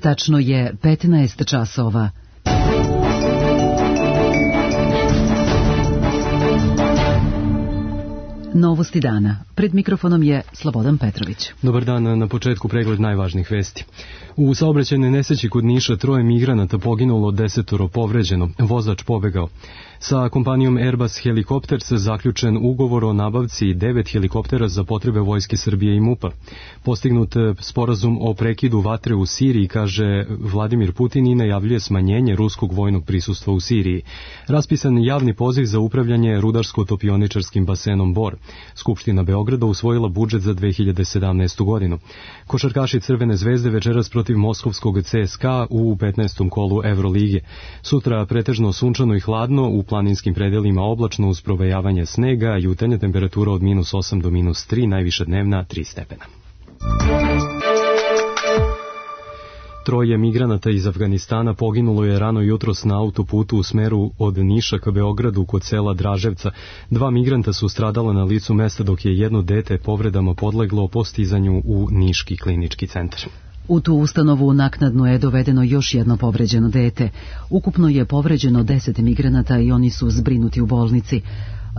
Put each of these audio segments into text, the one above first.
Tačno je 15 časova. Novosti dana. Pred mikrofonom je Slobodan Petrović. Dobar dan, na početku pregled najvažnijih vesti. U saobraćajnoj nesreći kod Niša 3 migranata poginulo, 10 povređeno, vozač pobegao. Sa kompanijom Airbus Helicopters zaključen ugovor o nabavci 9 helikoptera za potrebe Vojske Srbije i MUP-a. Postignut sporazum o prekidu vatre u Siriji, kaže Vladimir Putin, i najavljuje smanjenje ruskog vojnog prisustva u Siriji. Raspisan javni poziv za upravljanje rudarsko-topioničarskim basenom Bor. Skupština Beograda usvojila budžet za 2017. godinu. Košarkaši Crvene zvezde večeras protiv moskovskog CSKA u 15. kolu Evrolige. Sutra pretežno sunčano i hladno, u planinskim predelima oblačno uz provejavanje snega, jutarnja temperatura od -8 do -3, najviša dnevna 3 stepena. 3 migranata iz Afganistana poginulo je rano jutros na autoputu u smeru od Niša ka Beogradu kod sela Draževca. 2 migranta su stradala na licu mesta, dok je jedno dete povredama podleglo postizanju u Niški klinički centar. U tu ustanovu naknadno je dovedeno još jedno povređeno dete. Ukupno je povređeno 10 migranata i oni su zbrinuti u bolnici.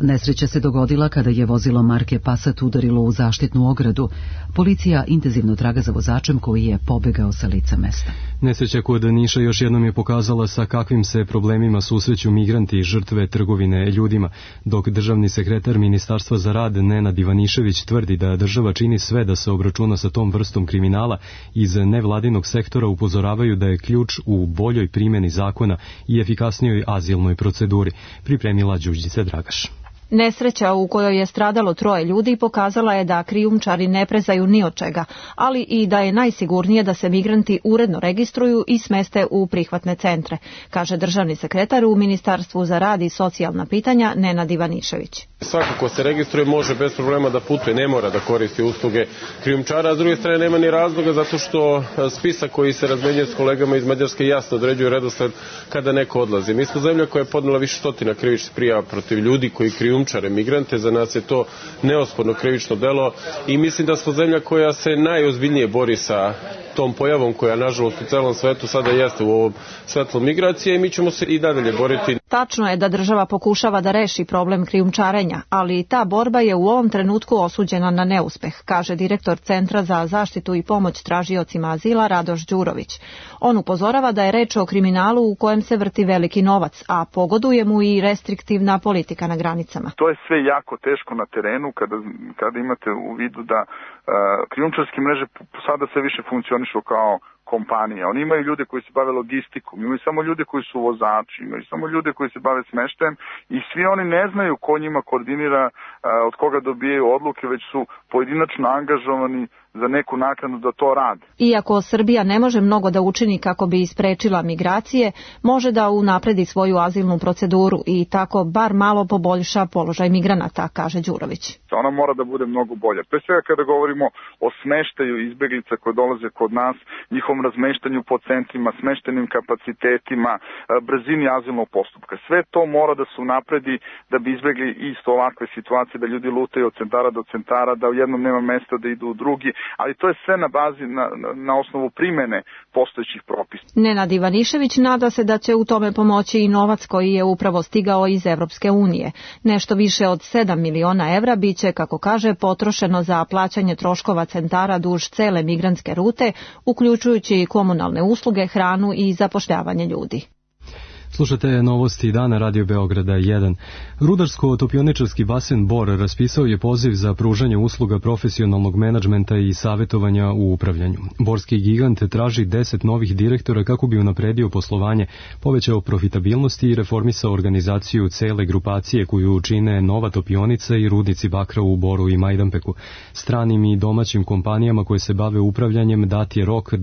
Nesreća se dogodila kada je vozilo marke Passat udarilo u zaštitnu ogradu. Policija intenzivno traga za vozačem koji je pobegao sa lica mesta. Nesreća kod Niša još jednom je pokazala sa kakvim se problemima susreću migranti i žrtve trgovine ljudima, dok državni sekretar Ministarstva za rad Nenad Ivanišević tvrdi da država čini sve da se obračuna sa tom vrstom kriminala. Iz nevladinog sektora upozoravaju da je ključ u boljoj primjeni zakona i efikasnijoj azilnoj proceduri. Pripremila Đurđica Dragaš. Nesreća u kojoj je stradalo 3 ljudi pokazala je da krijumčari ne prezaju ni od čega, ali i da je najsigurnije da se migranti uredno registruju i smeste u prihvatne centre, kaže državni sekretar u Ministarstvu za rad i socijalna pitanja Nenad Ivanišević. Svako ko se registruje može bez problema da putuje, ne mora da koristi usluge krijumčara, a s druge strane nema ni razloga zato što spisak koji se razmenjuje s kolegama iz Mađarske jasno određuje redosled kada neko odlazi. Mi smo zemlja koja je podnela više stotina krivičnih prijava protiv ljudi koji krijumčare migrante, za nas je to neosporno krivično delo i mislim da smo zemlja koja se najozbiljnije bori sa tom pojavom koja nažalost u celom svetu sada jeste u ovom svetlu migracije i mi ćemo se i dalje boriti. Tačno je da država pokušava da reši problem krijumčarenja, ali ta borba je u ovom trenutku osuđena na neuspeh, kaže direktor Centra za zaštitu i pomoć tražiocima azila Radoš Đurović. On upozorava da je reč o kriminalu u kojem se vrti veliki novac, a pogoduje mu i restriktivna politika na granicama. To je sve jako teško na terenu kada imate u vidu da krijumčarske mreže sada sve više funkcionišu kao kompanija. Oni imaju ljude koji se bave logistikom, imaju samo ljude koji su vozači, imaju samo ljude koji se bave smeštajem i svi oni ne znaju ko njima koordinira, od koga dobijaju odluke, već su pojedinačno angažovani za neku naknadu da to rade. Iako Srbija ne može mnogo da učini kako bi isprečila migracije, može da unapredi svoju azilnu proceduru i tako bar malo poboljša položaj migranata, kaže Đurović. Ona mora da bude mnogo bolja. Pre svega kada govorimo o smeštaju izbeglica koje dolaze kod nas, njihovom razmeštanju po centrima, smeštenim kapacitetima, brzini azilnog postupka. Sve to mora da se unapredi da bi izbegli isto ovakve situacije, da ljudi lutaju od centara do centara, da u jednom nema mesta da idu u drugi, ali to je sve na bazi, na osnovu primene postojećih propisa. Nenad Ivanišević nada se da će u tome pomoći i novac koji je upravo stigao iz Evropske unije. Nešto više od 7 miliona evra biće, kako kaže, potrošeno za plaćanje troškova centara duž cele migrantske rute, uključujući i komunalne usluge, hranu i zapošljavanje ljudi. Slušate novosti dana Radio Beograda 1. Rudarsko-topioničarski basen Bor raspisao je poziv za pružanje usluga profesionalnog menadžmenta i savjetovanja u upravljanju. Borski gigant traži 10 novih direktora kako bi unapredio poslovanje, povećao profitabilnosti i reformisao organizaciju cele grupacije koju čine Nova Topionica i rudnici bakra u Boru i Majdanpeku. Stranim i domaćim kompanijama koje se bave upravljanjem dat je rok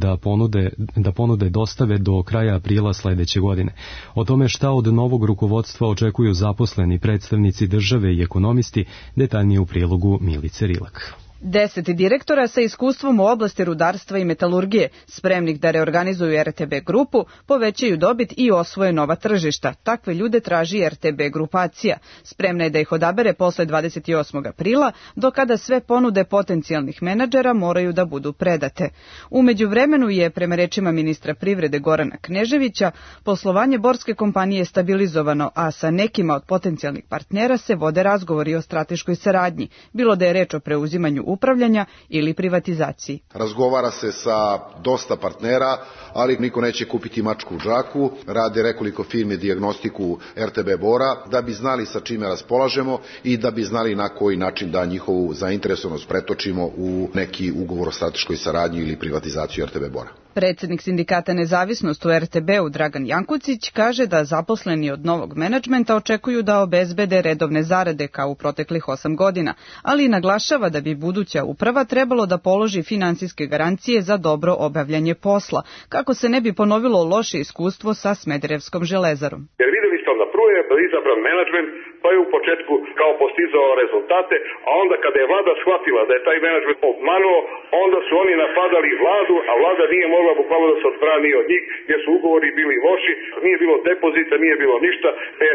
da ponude dostave do kraja aprila sledeće godine. O tome šta od novog rukovodstva očekuju zaposleni, predstavnici države i ekonomisti, detaljnije u prilogu Milice Rilak. 10 direktora sa iskustvom u oblasti rudarstva i metalurgije, spremnih da reorganizuju RTB grupu, povećaju dobit i osvoje nova tržišta. Takve ljude traži RTB grupacija. Spremna je da ih odabere posle 28. aprila, do kada sve ponude potencijalnih menadžera moraju da budu predate. U međuvremenu je, prema rečima ministra privrede Gorana Kneževića, poslovanje borske kompanije stabilizovano, a sa nekima od potencijalnih partnera se vode razgovori o strateškoj saradnji, bilo da je reč o preuzimanju upravljanja ili privatizaciji. Razgovara se sa dosta partnera, ali niko neće kupiti mačku u džaku. Rade nekoliko firme dijagnostiku RTB Bora da bi znali sa čime raspolažemo i da bi znali na koji način da njihovu zainteresovanost pretočimo u neki ugovor o strateškoj saradnji ili privatizaciju RTB Bora. Predsednik sindikata Nezavisnost u RTB-u Dragan Jankucić kaže da zaposleni od novog menadžmenta očekuju da obezbede redovne zarade kao u proteklih 8 godina, ali naglašava da bi buduća uprava trebalo da položi finansijske garancije za dobro obavljanje posla, kako se ne bi ponovilo loše iskustvo sa Smederevskom železarom. Jer videli ste na prvo je izabran menadžment, pa je u početku kao postizao rezultate, a onda kada je vlada shvatila da je taj menadžment obmanuo, onda su oni napadali vladu, a vlada nije mogla bukvalno da se odbrani od njih, jer su ugovori bili loši, nije bilo depozita, nije bilo ništa,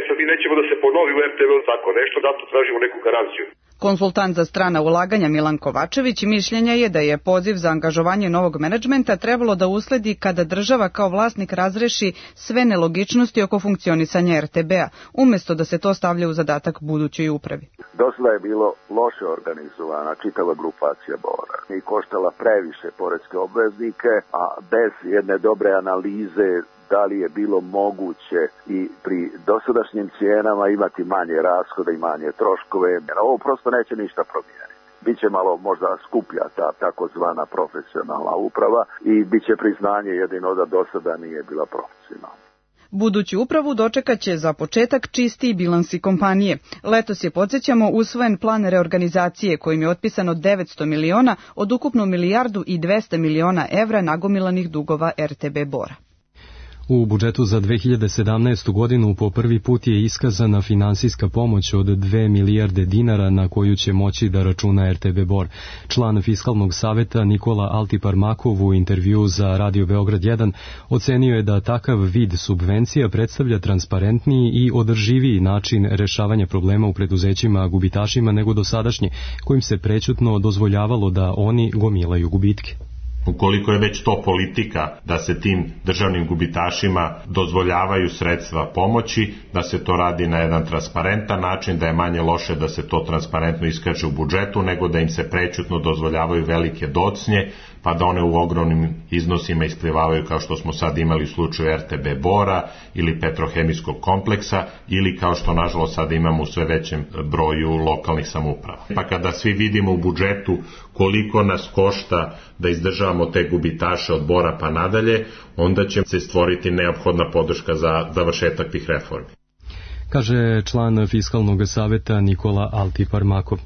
sad mi nećemo da se ponovi u RTV-u tako nešto, zato tražimo neku garanciju. Konsultant za strana ulaganja Milan Kovačević mišljenja je da je poziv za angažovanje novog menadžmenta trebalo da usledi kada država kao vlasnik razreši sve nelogičnosti oko funkcionisanja RTB-a, umesto da se to stavlja u zadatak budućoj upravi. Do sada je bilo loše organizovana čitava grupacija Bora i koštala previše poreske obveznike, a bez jedne dobre analize da li je bilo moguće i pri dosadašnjim cijenama imati manje rashoda i manje troškove. Ovo prosto neće ništa promijeniti. Biće malo možda skuplja ta takozvana profesionalna uprava i biće priznanje jedino da do sada nije bila profesionalna. Buduću upravu dočekaće za početak čistiji bilansi kompanije. Letos je, podsjećamo, usvojen plan reorganizacije kojim je otpisano 900 miliona od ukupno 1.200 miliona evra nagomilanih dugova RTB Bora. U budžetu za 2017. godinu po prvi put je iskazana finansijska pomoć od 2 milijarde dinara na koju će moći da računa RTB Bor. Član Fiskalnog saveta Nikola Altiparmakov u intervju za Radio Beograd 1 ocenio je da takav vid subvencija predstavlja transparentniji i održiviji način rešavanja problema u preduzećima gubitašima nego dosadašnje, kojim se prećutno dozvoljavalo da oni gomilaju gubitke. Ukoliko je već to politika da se tim državnim gubitašima dozvoljavaju sredstva pomoći, da se to radi na jedan transparentan način, da je manje loše da se to transparentno iskaže u budžetu, nego da im se prećutno dozvoljavaju velike docnje, pa da one u ogromnim iznosima isplivavaju kao što smo sad imali u slučaju RTB Bora ili petrohemijskog kompleksa ili kao što nažalost sad imamo u sve većem broju lokalnih samouprava. Pa kada svi vidimo u budžetu koliko nas košta da izdržavamo te gubitaše od Bora pa nadalje, onda će se stvoriti neophodna podrška za završetak tih reformi. Kaže član Fiskalnog saveta Nikola Altiparmakov.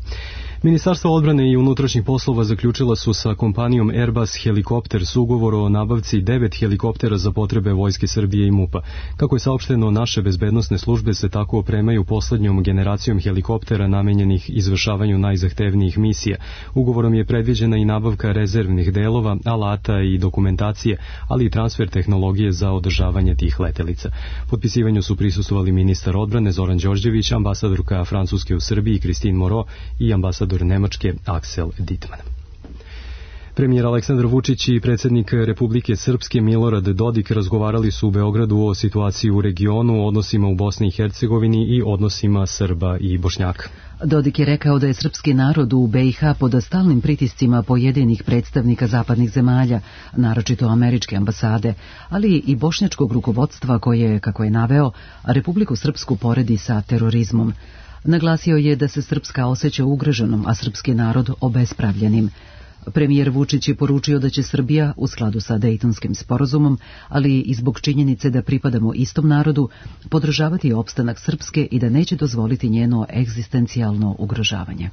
Ministarstvo odbrane i unutrašnjih poslova zaključila su sa kompanijom Airbus Helicopters ugovor o nabavci 9 helikoptera za potrebe Vojske Srbije i MUP-a. Kako je saopšteno, naše bezbednosne službe se tako opremaju poslednjom generacijom helikoptera namenjenih izvršavanju najzahtevnijih misija. Ugovorom je predviđena i nabavka rezervnih delova, alata i dokumentacije, ali i transfer tehnologije za održavanje tih letelica. Potpisivanju su prisustvovali ministar odbrane Zoran Đorđević, ambasadorka Francuske u Srbiji Christine Moreau i ambasador Nemačke Aksel Dittmann. Premijer Aleksandar Vučić i predsjednik Republike Srpske Milorad Dodik razgovarali su u Beogradu o situaciji u regionu, odnosima u Bosni i Hercegovini i odnosima Srba i Bošnjaka. Dodik je rekao da je srpski narod u BiH pod stalnim pritiscima pojedinih predstavnika zapadnih zemalja, naročito američke ambasade, ali i bošnjačkog rukovodstva koje, kako je naveo, Republiku Srpsku poredi sa terorizmom. Naglasio je da se Srpska osjeća ugroženom, a srpski narod obespravljenim. Premijer Vučić je poručio da će Srbija, u skladu sa Dejtonskim sporazumom, ali i zbog činjenice da pripadamo istom narodu, podržavati opstanak Srpske i da neće dozvoliti njeno egzistencijalno ugrožavanje.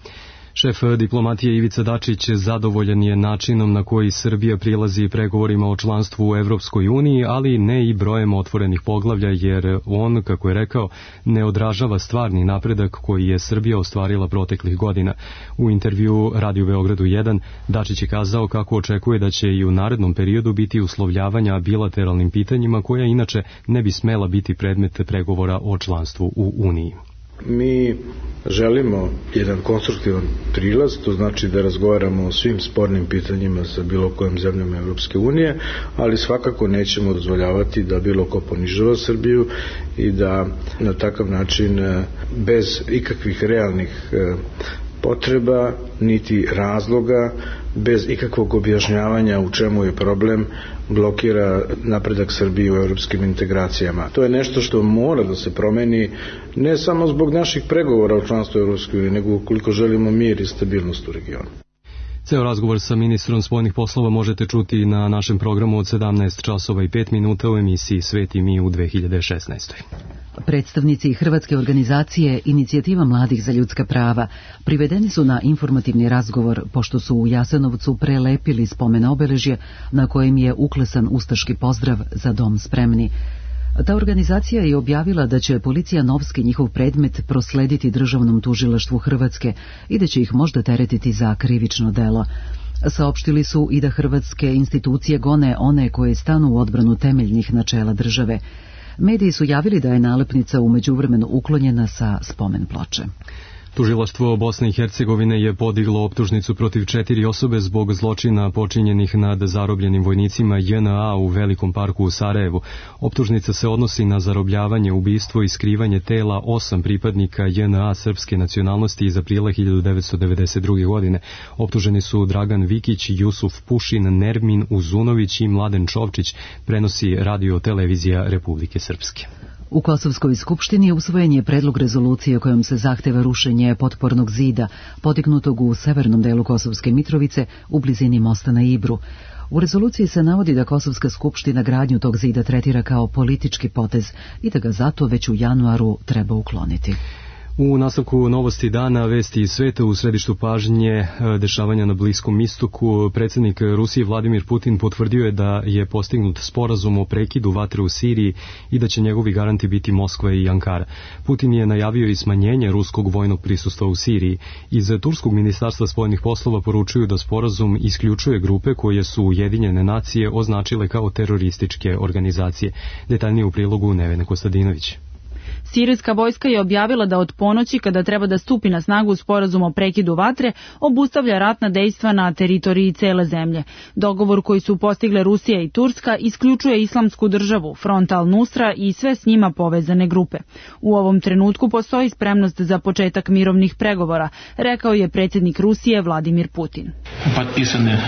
Šef diplomatije Ivica Dačić zadovoljan je načinom na koji Srbija prilazi pregovorima o članstvu u Evropskoj uniji, ali ne i brojem otvorenih poglavlja, jer on, kako je rekao, ne odražava stvarni napredak koji je Srbija ostvarila proteklih godina. U intervju Radiju Beogradu 1 Dačić je kazao kako očekuje da će i u narednom periodu biti uslovljavanja bilateralnim pitanjima koja inače ne bi smela biti predmet pregovora o članstvu u Uniji. Mi želimo jedan konstruktivan prilaz, to znači da razgovaramo o svim spornim pitanjima sa bilo kojom zemljom Evropske unije, ali svakako nećemo dozvoljavati da bilo ko ponižava Srbiju i da na takav način bez ikakvih realnih potreba niti razloga, bez ikakvog objašnjavanja u čemu je problem, blokira napredak Srbije u evropskim integracijama. To je nešto što mora da se promeni ne samo zbog naših pregovora o članstvu Evropske unije, nego ukoliko želimo mir i stabilnost u regionu. Ceo razgovor sa ministrom spoljnih poslova možete čuti na našem programu od 17 časova i 5 minuta u emisiji Svet i mi u 2016. Predstavnici Hrvatske organizacije Inicijativa mladih za ljudska prava privedeni su na informativni razgovor pošto su u Jasenovcu prelepili spomen obeležje na kojem je uklesan ustaški pozdrav Za dom spremni. Ta organizacija je objavila da će policija Novski njihov predmet proslediti Državnom tužilaštvu Hrvatske i da će ih možda teretiti za krivično delo. Saopštili su i da hrvatske institucije gone one koje stanu u odbranu temeljnih načela države. Mediji su javili da je nalepnica u međuvremenu uklonjena sa spomen ploče. Tužilaštvo Bosne i Hercegovine je podiglo optužnicu protiv 4 osobe zbog zločina počinjenih nad zarobljenim vojnicima JNA u Velikom parku u Sarajevu. Optužnica se odnosi na zarobljavanje, ubistvo i skrivanje tela 8 pripadnika JNA srpske nacionalnosti iz aprila 1992. godine. Optuženi su Dragan Vikić, Jusuf Pušin, Nermin Uzunović i Mladen Čovčić, prenosi Radio-televizija Republike Srpske. U Kosovskoj skupštini usvojen je predlog rezolucije kojom se zahteva rušenje potpornog zida podignutog u severnom delu Kosovske Mitrovice u blizini mosta na Ibru. U rezoluciji se navodi da Kosovska skupština gradnju tog zida tretira kao politički potez i da ga zato već u januaru treba ukloniti. U nastavku novosti dana, vesti iz sveta, u središtu pažnje dešavanja na Bliskom istoku, predsjednik Rusije Vladimir Putin potvrdio je da je postignut sporazum o prekidu vatre u Siriji i da će njegovi garanti biti Moskva i Ankara. Putin je najavio i smanjenje ruskog vojnog prisustva u Siriji. Iz Turskog ministarstva spoljnih poslova poručuju da sporazum isključuje grupe koje su Ujedinjene nacije označile kao terorističke organizacije. Detaljnije u prilogu Nevene Kostadinović. Sirijska vojska je objavila da od ponoći, kada treba da stupi na snagu sporazum o prekidu vatre, obustavlja ratna dejstva na teritoriji cele zemlje. Dogovor koji su postigle Rusija i Turska isključuje Islamsku državu, Front al-Nusra i sve s njima povezane grupe. U ovom trenutku postoji spremnost za početak mirovnih pregovora, rekao je predsjednik Rusije Vladimir Putin. Potpisane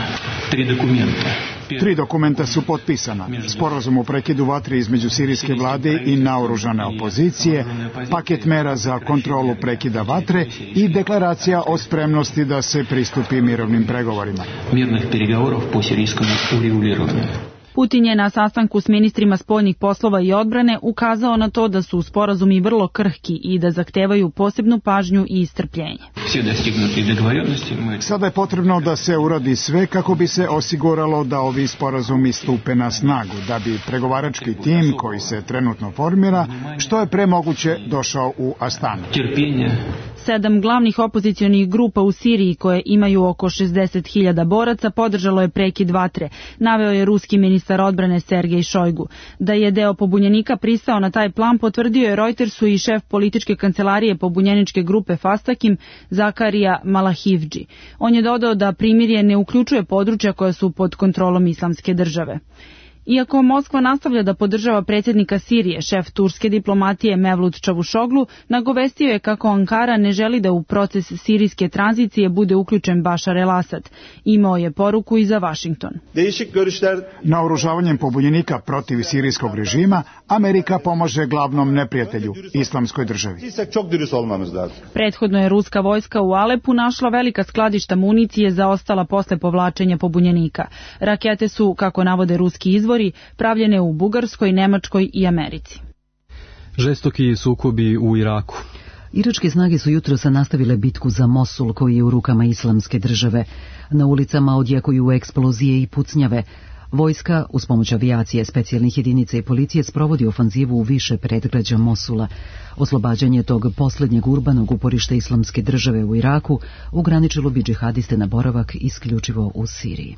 3 dokumenta. 3 dokumenta su potpisana. Sporazum o prekidu vatre između sirijske vlade i naoružane opozicije, paket mera za kontrolu prekida vatre i deklaracija o spremnosti da se pristupi mirovnim pregovorima. Mirnih pregovorov po sirijskom ureguliranju. Putin je na sastanku s ministrima spoljnih poslova i odbrane ukazao na to da su sporazumi vrlo krhki i da zahtevaju posebnu pažnju i strpljenje. Sada je potrebno da se uradi sve kako bi se osiguralo da ovi sporazumi stupe na snagu, da bi pregovarački tim koji se trenutno formira što je pre moguće došao u Astanu. 7 glavnih opozicionih grupa u Siriji koje imaju oko 60.000 boraca podržalo je prekid vatre, naveo je ruski ministar odbrane Sergej Šojgu. Da je deo pobunjenika pristao na taj plan potvrdio je Reutersu i šef političke kancelarije pobunjeničke grupe Fastakim Zakarija Malahivdži. On je dodao da primirje ne uključuje područja koja su pod kontrolom Islamske države. Iako Moskva nastavlja da podržava predsjednika Sirije, šef turske diplomatije Mevlut Čavušoglu nagovestio je kako Ankara ne želi da u proces sirijske tranzicije bude uključen Bašar el-Asad. Imao je poruku i za Vašington. Naoružavanjem pobunjenika protiv sirijskog režima, Amerika pomaže glavnom neprijatelju, Islamskoj državi. Prethodno je ruska vojska u Alepu našla velika skladišta municije zaostala posle povlačenja pobunjenika. Rakete su, kako navode ruski izvori, pravljene u Bugarskoj, Nemačkoj i Americi. Žestoki sukobi u Iraku. Iračke snage su jutros nastavile bitku za Mosul koji je u rukama Islamske države. Na ulicama odjekuju eksplozije i pucnjave. Vojska, uz pomoć avijacije, specijalnih jedinica i policije, sprovodi ofanzivu u više predgrađa Mosula. Oslobađanje tog posljednjeg urbanog uporišta Islamske države u Iraku ograničilo bi džihadiste na boravak isključivo u Siriji.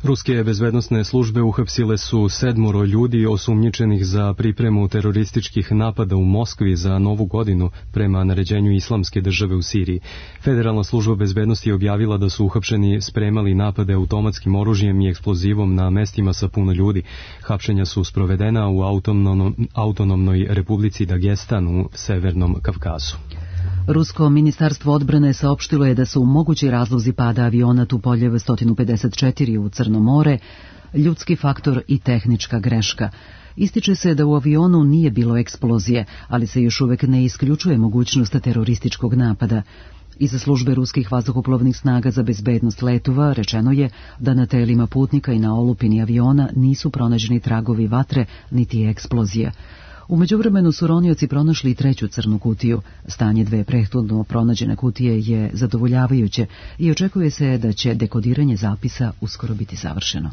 Ruske bezbednosne službe uhapsile su 7 ljudi osumnjičenih za pripremu terorističkih napada u Moskvi za Novu godinu prema naređenju Islamske države u Siriji. Federalna služba bezbednosti je objavila da su uhapšeni spremali napade automatskim oružjem i eksplozivom na mestima sa puno ljudi. Hapšenja su sprovedena u autonomnoj republici Dagestan u Severnom Kavkazu. Rusko ministarstvo odbrane saopštilo je da su mogući razlozi pada aviona Tupoljev 154 u Crno more ljudski faktor i tehnička greška. Ističe se da u avionu nije bilo eksplozije, ali se još uvek ne isključuje mogućnost terorističkog napada. Iz službe ruskih vazduhoplovnih snaga za bezbednost letova rečeno je da na telima putnika i na olupini aviona nisu pronađeni tragovi vatre niti eksplozija. U međuvremenu su ronioci pronašli i 3. crnu kutiju. Stanje 2 prethodno pronađene kutije je zadovoljavajuće i očekuje se da će dekodiranje zapisa uskoro biti završeno.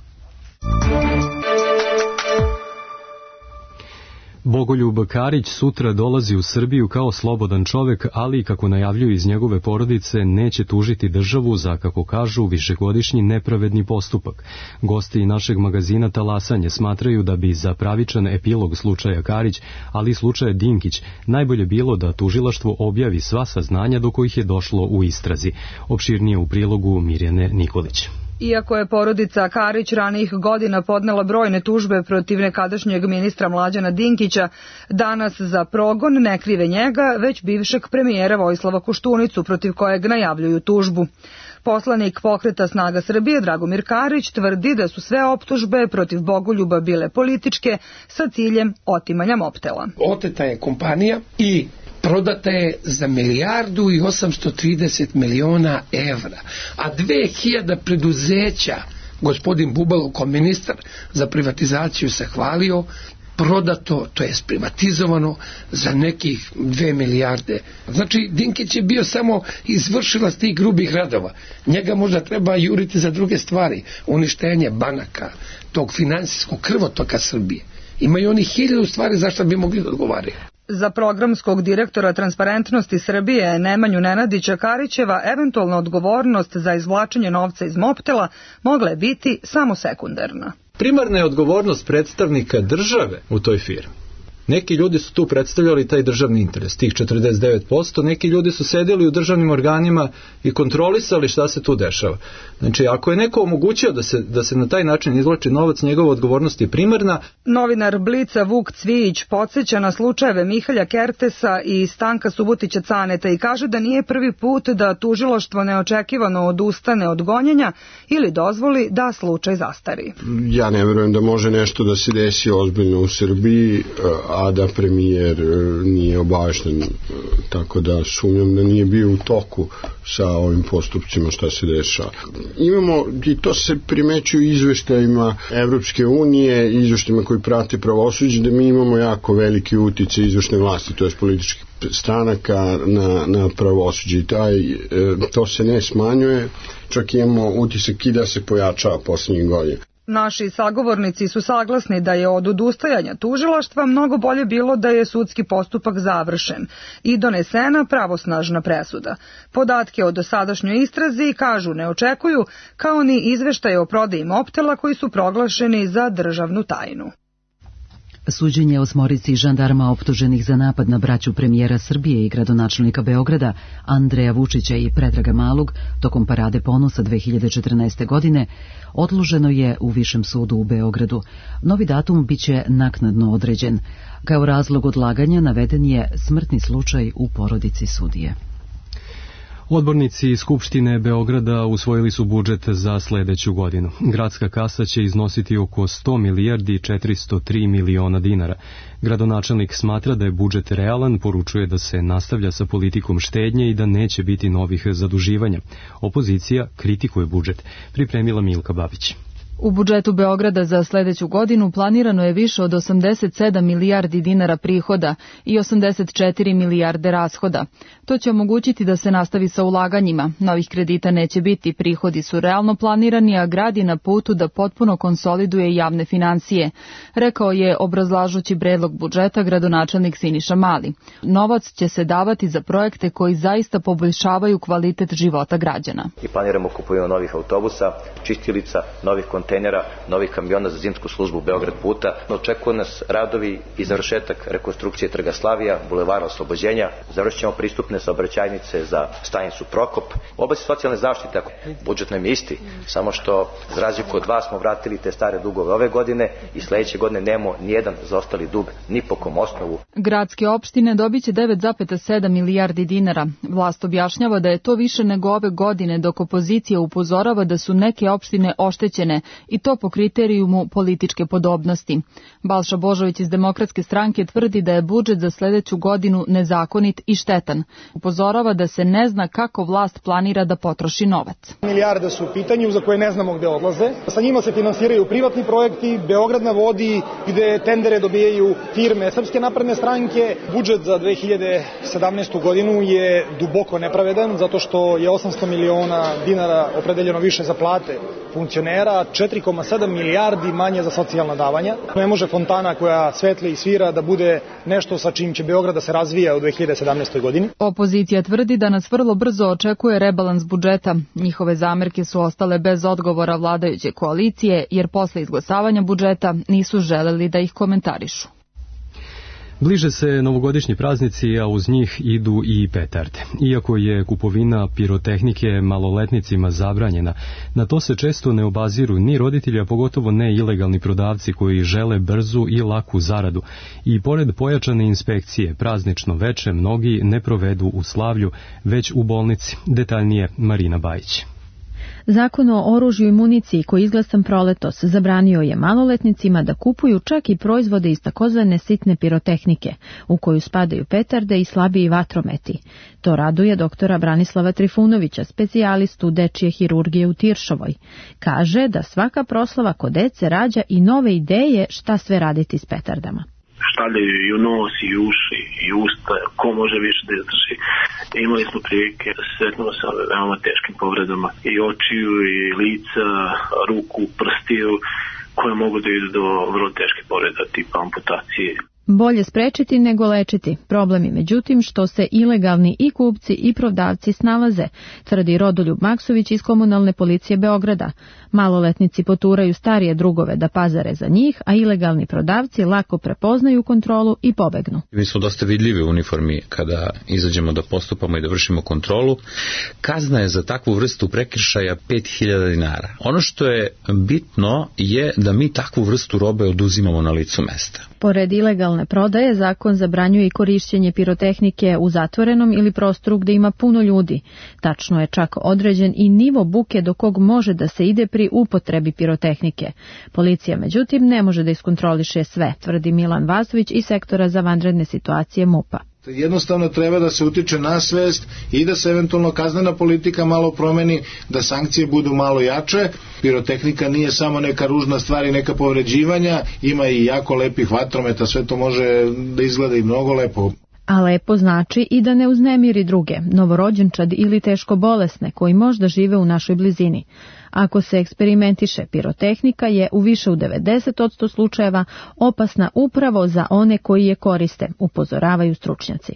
Bogoljub Karić sutra dolazi u Srbiju kao slobodan čovek, ali, kako najavljuju iz njegove porodice, neće tužiti državu za, kako kažu, višegodišnji nepravedni postupak. Gosti našeg magazina Talasanje smatraju da bi za pravičan epilog slučaja Karić, ali i slučaja Dinkić, najbolje bilo da tužilaštvo objavi sva saznanja do kojih je došlo u istrazi. Opširnije u prilogu Mirjane Nikolić. Iako je porodica Karić ranijih godina podnela brojne tužbe protiv nekadašnjeg ministra Mlađana Dinkića, danas za progon ne krive njega, već bivšeg premijera Vojislava Koštunicu, protiv kojeg najavljuju tužbu. Poslanik Pokreta Snaga Srbije Dragomir Karić tvrdi da su sve optužbe protiv Bogoljuba bile političke sa ciljem otimanja Mobtela. Oteta je kompanija i prodata je za 1.830 miliona evra, a 2000 preduzeća, gospodin Bubalo kao ministar za privatizaciju se hvalio, prodato, to je privatizovano za nekih 2 milijarde. Znači, Dinkić je bio samo izvršilac tih grubih radova. Njega možda treba juriti za druge stvari, uništenje banaka, tog finansijskog krvotoka Srbije. Imaju oni 1000 stvari zašto bi mogli da odgovaraju. Za programskog direktora Transparentnosti Srbije Nemanju Nenadića Karićeva eventualna odgovornost za izvlačenje novca iz Mobtela mogla je biti samo sekundarna. Primarna je odgovornost predstavnika države u toj firmi. Neki ljudi su tu predstavljali taj državni interes, tih 49%, neki ljudi su sedeli u državnim organima i kontrolisali šta se tu dešava. Znači, ako je neko omogućio da se na taj način izvlači novac, njegova odgovornost je primarna. Novinar Blica Vuk Cvijić podsjeća na slučajeve Mihalja Kertesa i Stanka Subotića Caneta i kaže da nije prvi put da tužilaštvo neočekivano odustane od gonjenja ili dozvoli da slučaj zastari. Ja ne verujem da može nešto da se desi ozbiljno u Srbiji, a da premijer nije obavešten, tako da sumnjam da nije bio u toku sa ovim postupcima šta se dešava. Imamo, i to se primećuje u izveštajima Evropske unije, izveštajima koji prate pravosuđe, da mi imamo jako veliki uticaj izvršne vlasti, to je političkih stranaka na pravosuđe i to se ne smanjuje, čak imamo utisak i da se pojačava posljednjih godina. Naši sagovornici su saglasni da je od odustajanja tužilaštva mnogo bolje bilo da je sudski postupak završen i donesena pravosnažna presuda. Podatke o dosadašnjoj istrazi, kažu, ne očekuju, kao ni izveštaje o prodaji Mobtela koji su proglašeni za državnu tajnu. Suđenje 8 žandarma optuženih za napad na braću premijera Srbije i gradonačelnika Beograda Andreja Vučića i Predraga Malog tokom Parade ponosa 2014. godine odloženo je u Višem sudu u Beogradu. Novi datum biće naknadno određen. Kao razlog odlaganja naveden je smrtni slučaj u porodici sudije. Odbornici Skupštine Beograda usvojili su budžet za sledeću godinu. Gradska kasa će iznositi oko 100 milijardi i 403 miliona dinara. Gradonačelnik smatra da je budžet realan, poručuje da se nastavlja sa politikom štednje i da neće biti novih zaduživanja. Opozicija kritikuje budžet. Pripremila Milka Babić. U budžetu Beograda za sledeću godinu planirano je više od 87 milijardi dinara prihoda i 84 milijarde rashoda. To će omogućiti da se nastavi sa ulaganjima. Novih kredita neće biti, prihodi su realno planirani, a grad je na putu da potpuno konsoliduje javne finansije, rekao je obrazlažući predlog budžeta gradonačelnik Siniša Mali. Novac će se davati za projekte koji zaista poboljšavaju kvalitet života građana. I planiramo kupovinu novih autobusa, čistilica, novih kontejnera, novih kamiona za zimsku službu Beograd puta. Očekuju nas radovi i završetak rekonstrukcije Trga Slavija, Bulevara Oslobođenja, završćemo pristupne saobraćajnice za stanicu Prokop. U oblasti socijalne zaštite, budžet nam je isti, samo što za razliku od vas smo vratili te stare dugove ove godine i sledeće godine nemamo nijedan zaostali dug ni po kom osnovu. Gradske opštine dobiće 9,7 milijardi dinara. Vlast objašnjava da je to više nego ove godine, dok opozicija upozorava da su neke opštine oštećene i to po kriterijumu političke podobnosti. Balša Božović iz Demokratske stranke tvrdi da je budžet za sledeću godinu nezakonit i štetan. Upozorava da se ne zna kako vlast planira da potroši novac. Milijarde su u pitanju za koje ne znamo gde odlaze. Sa njima se finansiraju privatni projekti, Beograd na vodi, gde tendere dobijaju firme Srpske napredne stranke. Budžet za 2017. godinu je duboko nepravedan, zato što je 800 miliona dinara opredeljeno više za plate funkcionera, 4,7 milijardi manje za socijalna davanja. Ne može fontana koja svetli i svira da bude nešto sa čim će Beograd da se razvija u 2017. godini. Opozicija tvrdi da nas vrlo brzo očekuje rebalans budžeta. Njihove zamerke su ostale bez odgovora vladajuće koalicije, jer posle izglasavanja budžeta nisu želeli da ih komentarišu. Bliže se novogodišnji praznici, a uz njih idu i petarde. Iako je kupovina pirotehnike maloletnicima zabranjena, na to se često ne obaziru ni roditelji, a pogotovo ne ilegalni prodavci koji žele brzu i laku zaradu. I pored pojačane inspekcije, praznično veče mnogi ne provedu u slavlju, već u bolnici. Detaljnije Marina Bajić. Zakon o oružju i municiji koji izglasan proletos zabranio je maloletnicima da kupuju čak i proizvode iz takozvane sitne pirotehnike, u koju spadaju petarde i slabiji vatrometi. To raduje doktora Branislava Trifunovića, specijalistu dečije hirurgije u Tiršovoj. Kaže da svaka proslava kod dece rađa i nove ideje šta sve raditi s petardama. Stavljaju i u nos, i u uši, i u usta, ko može više da izdrži. Imali smo prilike da se sretnemo sa veoma teškim povredama i očiju, i lica, ruku, prstiju, koje mogu da idu do vrlo teške povreda tipa amputacije. Bolje sprečiti nego lečiti. Problem je međutim što se ilegalni i kupci i prodavci snalaze, tvrdi Rodoljub Maksović iz komunalne policije Beograda. Maloletnici poturaju starije drugove da pazare za njih, a ilegalni prodavci lako prepoznaju kontrolu i pobegnu. Mi smo dosta vidljivi u uniformi kada izađemo da postupamo i da vršimo kontrolu. Kazna je za takvu vrstu prekršaja 5.000 dinara. Ono što je bitno je da mi takvu vrstu robe oduzimamo na licu mesta. Pored ilegalne prodaje, zakon zabranjuje i korišćenje pirotehnike u zatvorenom ili prostoru gde ima puno ljudi. Tačno je čak određen i nivo buke do kog može da se ide pri upotrebi pirotehnike. Policija, međutim, ne može da iskontroliše sve, tvrdi Milan Vasović iz sektora za vanredne situacije MUP-a. Jednostavno treba da se utiče na svest i da se eventualno kaznena politika malo promeni, da sankcije budu malo jače. Pirotehnika nije samo neka ružna stvar i neka povređivanja, ima i jako lepih vatrometa, sve to može da izgleda i mnogo lepo. A lepo znači i da ne uznemiri druge, novorođenčad ili teško bolesne koji možda žive u našoj blizini. Ako se eksperimentiše, pirotehnika je u više od 90% slučajeva opasna upravo za one koji je koriste, upozoravaju stručnjaci.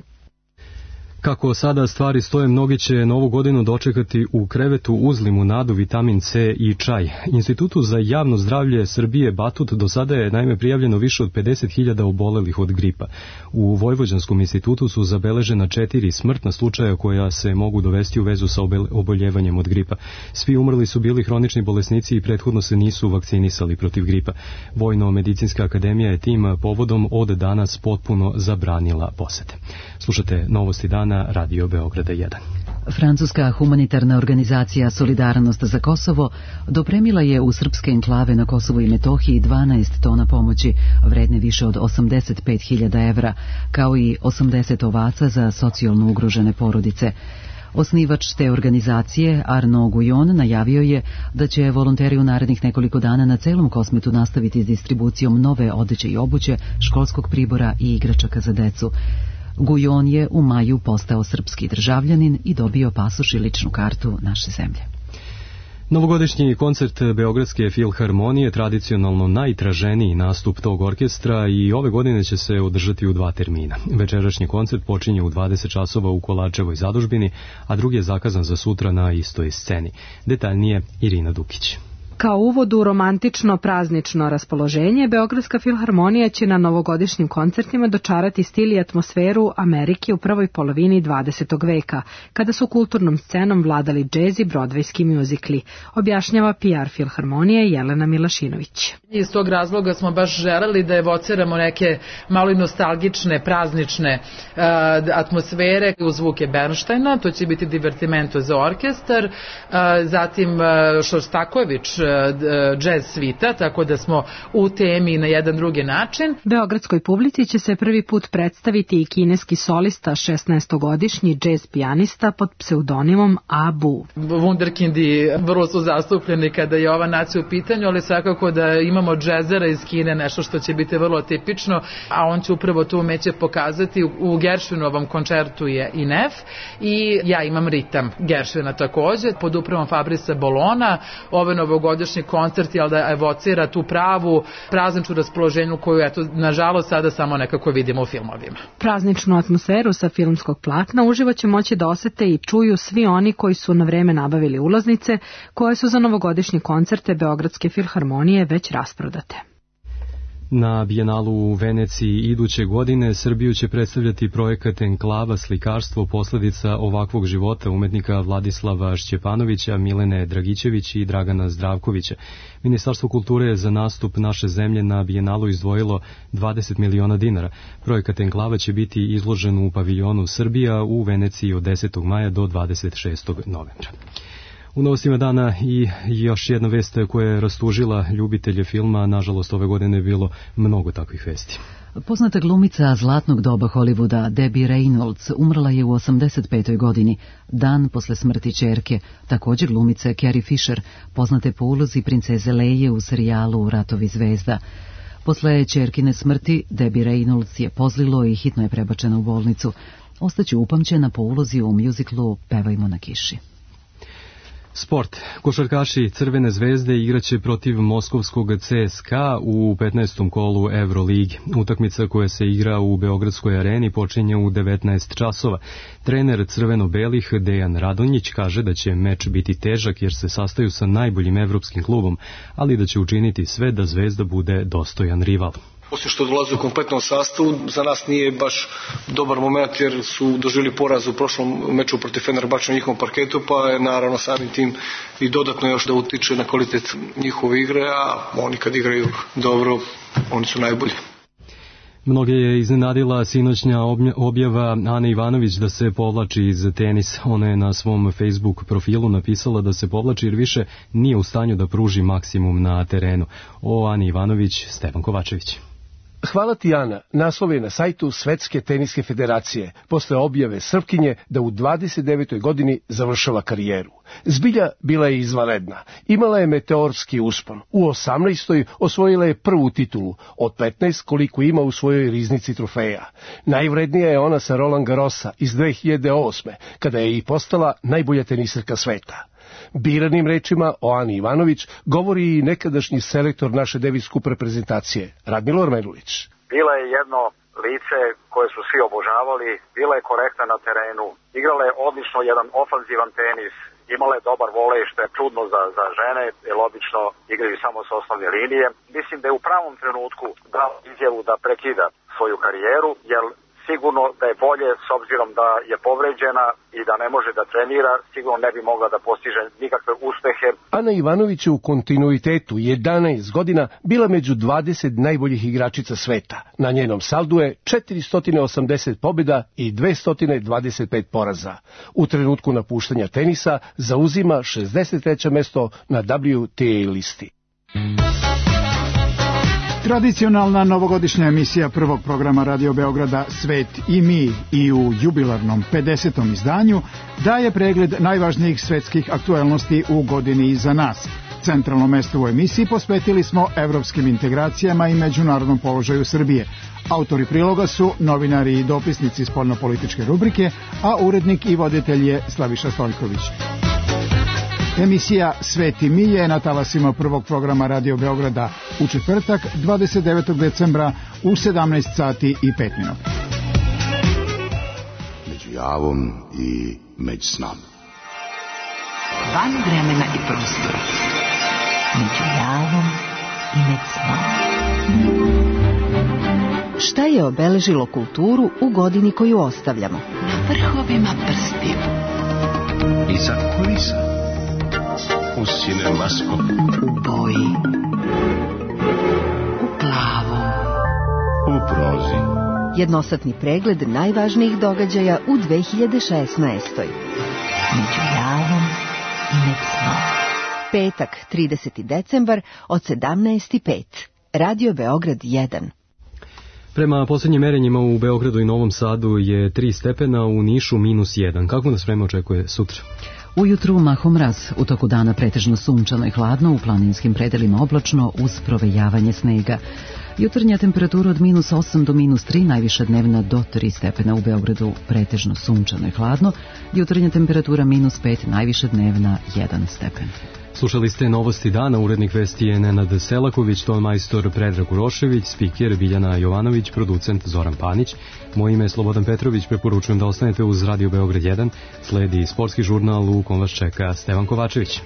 Kako sada stvari stoje, mnogi će novu godinu dočekati u krevetu uz limunadu, vitamin C i čaj. Institutu za javno zdravlje Srbije Batut do sada je naime prijavljeno više od 50.000 obolelih od gripa. U Vojvođanskom institutu su zabeležena 4 smrtna slučaja koja se mogu dovesti u vezu sa oboljevanjem od gripa. Svi umrli su bili hronični bolesnici i prethodno se nisu vakcinisali protiv gripa. Vojno-medicinska akademija je tim povodom od danas potpuno zabranila posete. Slušate Novosti dana, Radio Beograda 1. Francuska humanitarna organizacija Solidarnost za Kosovo dopremila je u srpske enklave na Kosovu i Metohiji 12 tona pomoći vredne više od 85.000 evra, kao i 80 ovaca za socijalno ugrožene porodice. Osnivač te organizacije, Arnaud Guyon, najavio je da će volonteri u narednih nekoliko dana na celom Kosmetu nastaviti s distribucijom nove odeće i obuće, školskog pribora i igračaka za decu. Guyon je u maju postao srpski državljanin i dobio pasoš i ličnu kartu naše zemlje. Novogodišnji koncert Beogradske filharmonije, tradicionalno najtraženiji nastup tog orkestra, i ove godine će se održati u 2 termina. Večerašnji koncert počinje u 20 časova u Kolarčevoj zadužbini, a drugi je zakazan za sutra na istoj sceni. Detaljnije Irina Dukić. Kao uvod u romantično praznično raspoloženje, Beogradska filharmonija će na novogodišnjim koncertima dočarati stil i atmosferu Amerike u prvoj polovini 20. veka, kada su kulturnom scenom vladali džez i brodvejski mjuzikli, objašnjava PR filharmonije Jelena Milašinović. Iz tog razloga smo baš želeli da evociramo neke malo i nostalgične, praznične atmosfere u zvuke Bernsteina, to će biti divertimento za orkestar, zatim Šostaković jazz svita, tako da smo u temi na jedan drugi način. Beogradskoj publici će se prvi put predstaviti i kineski solista, 16-godišnji jazz pijanista pod pseudonimom Abu. Wunderkindi vrlo su zastupljeni kada je ova nacija u pitanju, ali svakako da imamo džezera iz Kine, nešto što će biti vrlo tipično, a on će upravo tu umeće pokazati. U Gershwinovom koncertu je i nef i ja imam ritam Gershwina takođe, pod upravom Fabrice Bolona. Ove novogodišnji koncert je da evocira tu pravu prazničnu raspoloženju koju, eto, nažalost sada samo nekako vidimo u filmovima. Prazničnu atmosferu sa filmskog platna uživo će moći da osete i čuju svi oni koji su na vreme nabavili ulaznice, koje su za novogodišnje koncerte Beogradske filharmonije već rasprodate. Na Bijenalu u Veneciji iduće godine Srbiju će predstavljati projekat Enklava slikarstvo, posljedica ovakvog života umetnika Vladislava Šćepanovića, Milene Dragićević i Dragana Zdravkovića. Ministarstvo kulture je za nastup naše zemlje na Bijenalu izdvojilo 20 miliona dinara. Projekat Enklava će biti izložen u paviljonu Srbija u Veneciji od 10. maja do 26. novembra. U novostima dana i još jedna vest koja je rastužila ljubitelje filma, nažalost ove godine je bilo mnogo takvih vesti. Poznata glumica zlatnog doba Hollywooda Debbie Reynolds umrla je u 85. godini, dan posle smrti ćerke, također glumice Carrie Fisher, poznate po ulozi princeze Leje u serijalu Ratovi zvezda. Posle ćerkine smrti Debbie Reynolds je pozlilo i hitno je prebačena u bolnicu. Ostaće upamćena po ulozi u mjuziklu Pevajmo na kiši. Sport. Košarkaši Crvene zvezde igraće protiv moskovskog CSKA u 15. kolu Euroligi. Utakmica koja se igra u Beogradskoj areni počinje u 19 časova. Trener crveno-belih Dejan Radonjić kaže da će meč biti težak jer se sastaju sa najboljim evropskim klubom, ali da će učiniti sve da Zvezda bude dostojan rival. Osim što dolaze u kompletnom sastavu, za nas nije baš dobar moment jer su doživjeli poraz u prošlom meču protiv Fenerbahče na njihovom parketu, pa je naravno samim tim i dodatno još da utiče na kvalitet njihove igre, a oni kad igraju dobro, oni su najbolji. Mnoge je iznenadila sinoćnja objava Ane Ivanović da se povlači iz tenisa. Ona je na svom Facebook profilu napisala da se povlači jer više nije u stanju da pruži maksimum na terenu. O Ani Ivanović, Stevan Kovačević. Hvala ti, Ana. Naslov je na sajtu Svetske teniske federacije, posle objave Srpkinje da u 29. godini završava karijeru. Zbilja bila je izvanredna. Imala je meteorski uspon. U 18. osvojila je prvu titulu, od 15 koliko ima u svojoj riznici trofeja. Najvrednija je ona sa Roland Garrosa iz 2008. kada je i postala najbolja teniserka sveta. Biranim rečima o Ani Ivanović govori i nekadašnji selektor naše Davis Cup reprezentacije, Radmilor Merulić. Bila je jedno lice koje su svi obožavali, bila je korektna na terenu, igrala je odlično jedan ofanzivan tenis, imala je dobar volej, što je čudno za žene, jer obično igraju samo sa osnovne linije. Mislim da je u pravom trenutku dao izjavu da prekida svoju karijeru, jer sigurno da je bolje, s obzirom da je povređena i da ne može da trenira, sigurno ne bi mogla da postiže nikakve uspehe. Ana Ivanović je u kontinuitetu 11 godina bila među 20 najboljih igračica sveta. Na njenom saldu je 480 pobjeda i 225 poraza. U trenutku napuštanja tenisa zauzima 63. mesto na WTA listi. Tradicionalna novogodišnja emisija prvog programa Radio Beograda Svet i mi i u jubilarnom 50. izdanju daje pregled najvažnijih svetskih aktuelnosti u godini iza nas. Centralno mesto u emisiji posvetili smo evropskim integracijama i međunarodnom položaju Srbije. Autori priloga su novinari i dopisnici spoljnopolitičke rubrike, a urednik i voditelj je Slaviša Stoljković. Emisija Svet i mi je na talasima prvog programa Radio Beograda u četvrtak 29. decembra u 17 sati i 5 minuta. Među javom i među snom. Van vremena i prostora. Među javom i među snom. Šta je obeležilo kulturu u godini koju ostavljamo? Na vrhovima prstiju. Iza kulisa. U cinemaskop. U boji. U plavom. U prozi. Jednosatni pregled najvažnijih događaja u 2016. Među javom i među snom. Petak, 30. decembar od 17:05. Radio Beograd 1. Prema posljednjim merenjima u Beogradu i Novom Sadu je 3 stepena, u Nišu -1. Kako nas vreme očekuje sutra? Ujutru mahom mraz, u toku dana pretežno sunčano i hladno, u planinskim predelima oblačno uz provejavanje snega. Jutarnja temperatura od -8 do -3, najviša dnevna do 3 stepena u Beogradu, pretežno sunčano i hladno. Jutarnja temperatura -5, najviša dnevna 1 stepen. Slušali ste novosti dana, urednik vesti je Nenad Selaković, ton majstor Predrag Urošević, spiker Biljana Jovanović, producent Zoran Panić. Moje ime je Slobodan Petrović, preporučujem da ostanete uz Radio Beograd 1, sledi sportski žurnal u kom vas čeka Stevan Kovačević.